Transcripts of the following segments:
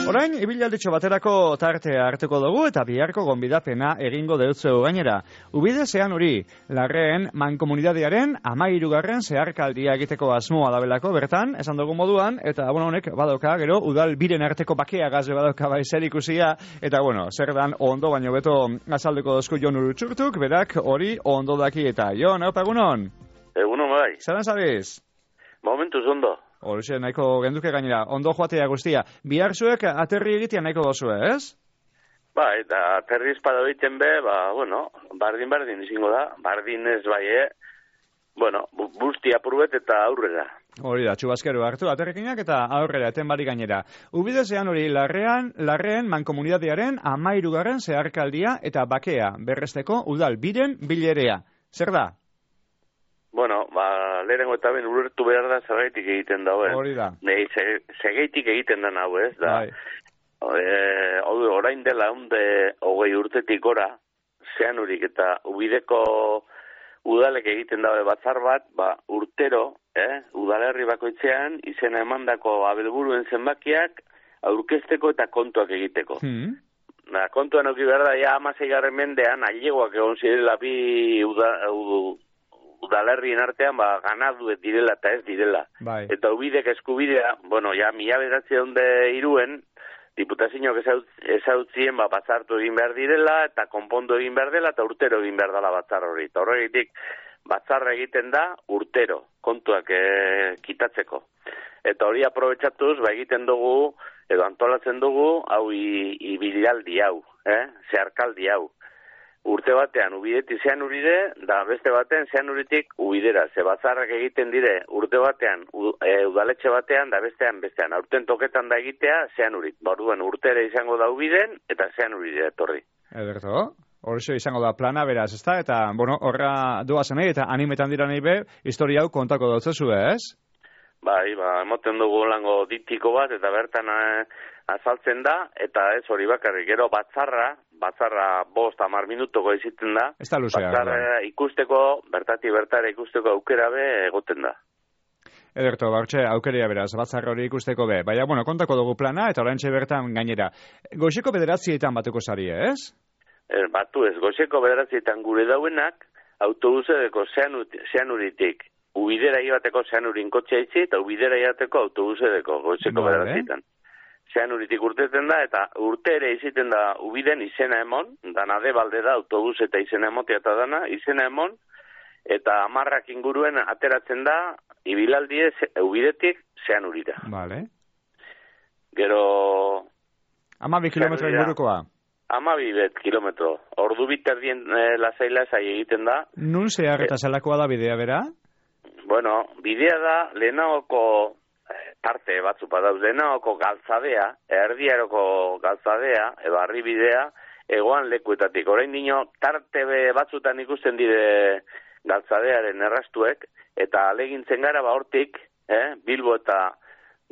Orain, ibilalditxo baterako tartea hartuko dugu eta biharko gonbidapena egingo deutzeu gainera. Ubide Zeanuri, Larreen mankomunitatearen 13. zeharkaldia egiteko asmoa dabelako bertan, esan dugu moduan, eta honek badoka, gero, udal biren arteko bakea gaze badoka zer ikusia, eta zer dan ondo baino beto azaldeko dozku Jon Urutxurtuk, berak hori ondo daki eta. Jon, haupa egunon? Egunon bai. Zeran zabiz? Momentuz ondo. Horixe, nahiko genduke gainera, ondo joatea guztia. Bihar zuek aterri egitea nahiko dozue, ez? Ba, eta aterri espada egiten be, bardin izango da. Bardin ez bai, busti apurbet eta aurrera. Hori da, txubazkero hartu, aterrikinak eta aurrera, eten bari gainera. Ubide Zeanuri, Larreen mankomunitatearen 13. zeharkaldia eta bakea, berresteko udal biren bilerea. Zer da? Lehenengo eta ben ulertu behar da zergaitik egiten dauen. Hori da. Zegeitik egiten da nahu, ez? Orain dela 20 urtetik gora, Zeanurik eta Ubideko udalek egiten daue batzar bat, urtero, udalerri bakoitzean, izena emandako abelburuen zenbakiak aurkezteko eta kontuak egiteko. Kontuan auki behar da, 16. mendean, ailegoak egon zirela bi udalerrien artean, ganaduet direla eta ez direla. Bai. Eta Ubidek eskubidea, 1903 diputazioak ezautzien batzartu egin behar direla, eta konpondu egin behar dela, eta urtero egin behar dela batzar hori. Eta horregitik, batzarra egiten da urtero, kontuak kitatzeko. Eta hori aprobetxatuz, egiten dugu, edo antolatzen dugu, hau ibilaldi hau, zeharkaldi hau. Urte batean Ubidetik Zeanurire, da beste batean Zeanuritik Ubidera. Ze batzarrak egiten dire urte batean udaletxe batean, da bestean. Aurten toketan da egitea Zeanurik. Orduan urtera izango da Ubiden eta Zeanurire etorri. Ederto, horrexo izango da plana beraz, ezta? Eta, horra doazen eta animetan dira nahi be, historia hau kontako dautzezu, ez? Bai, emoten dugu lango ditiko bat, eta bertan azaltzen da, eta ez hori bakarrik, gero batzarra 5-10 minutoko iziten da. Ez da luzea. Batzarra ikusteko, bertara ikusteko aukera be egoten da. Ederto, aukeria beraz, batzarra hori ikusteko be. Baina, kontako dugu plana, eta oraintxe bertan gainera. Goizeko 9:00 batuko zari, ez? Batu ez, goizeko 9:00 gure dauenak, autobusedeko Zeanuritik. Ubidera ibateko Zeanurin kotxea itzi, eta Ubidera ibateko autobusedeko goizeko 9:00. Zeanuritik urteten da, eta urte ere iziten da Ubiden izena emon, dana debalde da autobus eta izena emotea eta dana, izena emon, eta 10 inguruen ateratzen da, ibilaldi Ubidetik Zeanurira. Vale. Gero... 12 kilometro ingurukoa? 12 kilometro. Ordu biterdien lasaila zai egiten da. Nun zehar eta zelakoa da bidea, bera? Bidea da lehenagoko tarte batzu badauz, lehenagoko galtzadea, erdiaroko galtzadea, edo arribidea, egoan lekuetatik. Orain dino, tarte batzutan ikusten dire galtzadearen errastuek, eta alegintzen gara hortik, Bilbo eta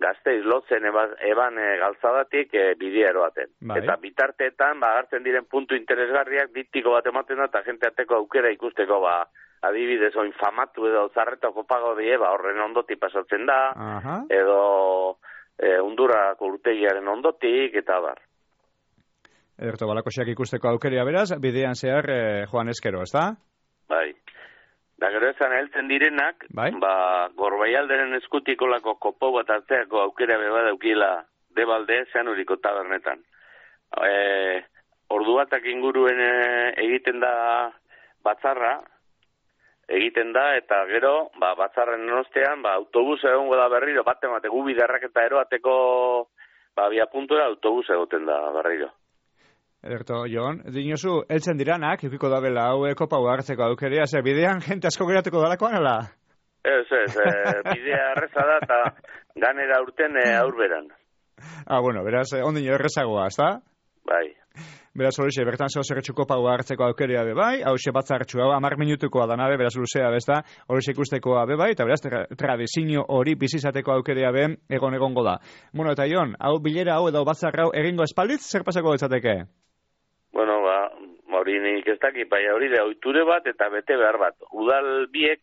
Gasteiz lotzen eban galtzadatik bidea eroaten. Bai. Eta bitarteetan, agartzen diren puntu interesgarriak ditiko bat ematen da, eta jente arteko aukera ikusteko, adibidez, famatu edo zarretako pago die, horren ondotik pasatzen da, edo Undurako urtegiaren ondotik, eta bar. Ederto, balakosiak ikusteko aukeria beraz, bidean zehar joan eskero, ez da? Bai. Da gero ezan heltzen direnak, Gorbaialderen eskutikolako kopo bat hartzeako aukera beba daukila debalde Zeanuriko tabernetan. Ordu batak inguruen egiten da batzarra, eta gero, batzarren ostean, autobus egongo da berriro, bate gubidarrak eta eroateko, bia puntura autobus egoten da berriro. Ederto, Jon, dinozu, heltzen diranak, ikiko da bela hau kopa hartzeko aukeria, bidean jente asko geratuko dalakoan, ala? Ez, bidea erreza da, eta ganera urten aurberan. Beraz, ondino errezagoa, ez da? Bai. Beraz, horixe, bertan zehozerretxu kopa hartzeko aukeria bebai, hau batzartxu, 10 minutukoa danabe, beraz luzea besta, horixe ikustekoa bebai, eta beraz, tradizio hori bizizateko aukeria ben egongo da. Eta Jon, hau bilera hau edo batzarra hau egingo espalditz, zer pasako ditzateke? Hori nik ez dakit, hori da ohiture bat eta bete behar bat. Udal biek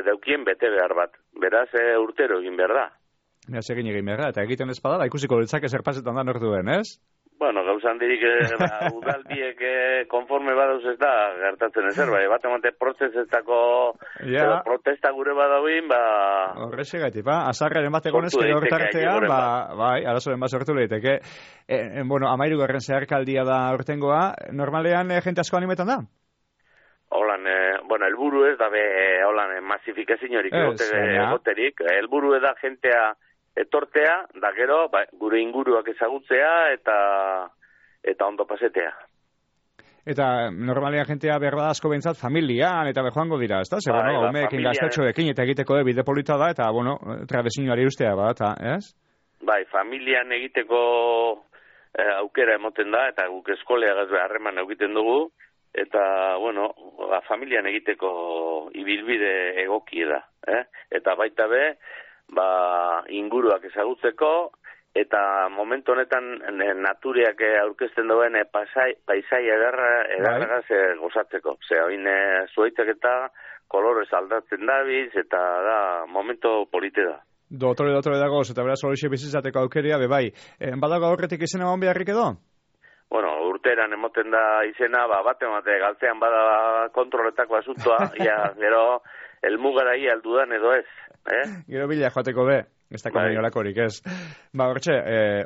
daukien bete behar bat. Beraz, urtero egin behar da. Beraz egin behar, eta egiten ez badala, ikusiko litzake zer pasetan da nortuen, ez? Bueno, gauzan dirik udaldiek konforme badauz ez da gertatzen ezer, bai, bat emate prozesetako protesta gure badauin, horrexegatik, azarraren bat egonez, que hortartean, bai, arazoren bat sortu lehiteke. Bueno, 13. zeharkaldia da urtengoa, normalean jente asko animetan da? Holan, bueno, elburu ez da holan, masifikaziorik egoterik, elburu da jentea etortea, da gero, gure inguruak ezagutzea eta ondo pasetea. Eta normalean jentea behar bada asko behintzat familian eta joango dira, ez da? Zer, bueno, homeekin gaztetxoekin eta egiteko bide polita da, eta, bueno, trabezinioari ustea bada, ez? Bai, familian egiteko aukera emoten da, eta guk eskoleagaz harreman egiten dugu, eta, bueno, familian egiteko ibilbide egoki da, Eta baita inguruak ezagutzeko, eta momentu honetan natureak aurkezten duen paisai ederragaz gozatzeko. Hain zuaitzak eta kolorez aldatzen dabiz, eta da, momento polite da. Dotore dagoz, eta beraz horixe bizitzateko aukeria, bai. Badago horretik izena hon beharrik edo? Bueno, urteran emoten da izena, bat emate galtzean bada kontroletako asuntoa, gero elmugara aldudan edo ez. Gero bila joateko ez da konbeniolakorik, ez. Hortxe,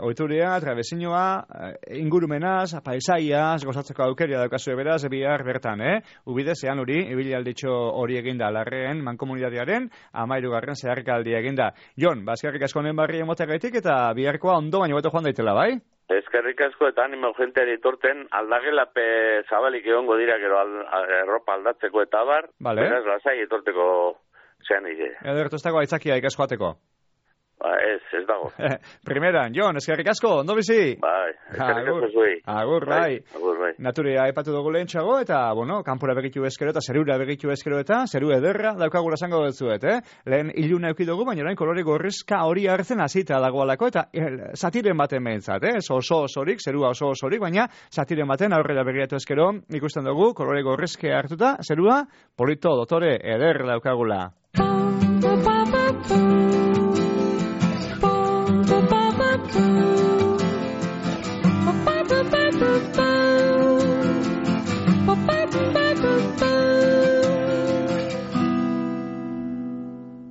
oituria, trabezinua, ingurumenaz, paisaiaz, gozatzeko aukeria daukazu beraz, bihar bertan, Ubide zean hori, ibilaldietxo hori eginda larreen, mankomunitatearen, 13. zeharkaldia eginda. Jon, bazkarrik asko honen barri emotagaitik, eta biharkoa ondo baino beto joan daitela, bai? Eskerrik asko eta animo jenteari etorten, aldagelape zabalik egongo dira gero erropa aldatzeko eta abar, beraz lasai etorteko zean ide. Edertu ez dago aitzakia ikaz joateko? Ez dago. Primeran, Jon, eskerrik asko, ondo bizi? Bai, eskerrik asko zuei. Agur, bai. Naturia aipatu dugu lehentxago, eta, bueno, kanpura begitu ezkero eta zerura begitu ezkero eta zeru ederra daukagula zango dutzuet, Lehen iluna eukidugu, baina orain kolore gorrizka hori hartzen hasita dagoalako, eta zatiren baten behintzat, oso osorik, zerua oso osorik, baina zatiren baten aurrera begiratu ezkero, ikusten dugu, kolore gorrizke hartuta, zerua, polito, dotore, eder daukagula.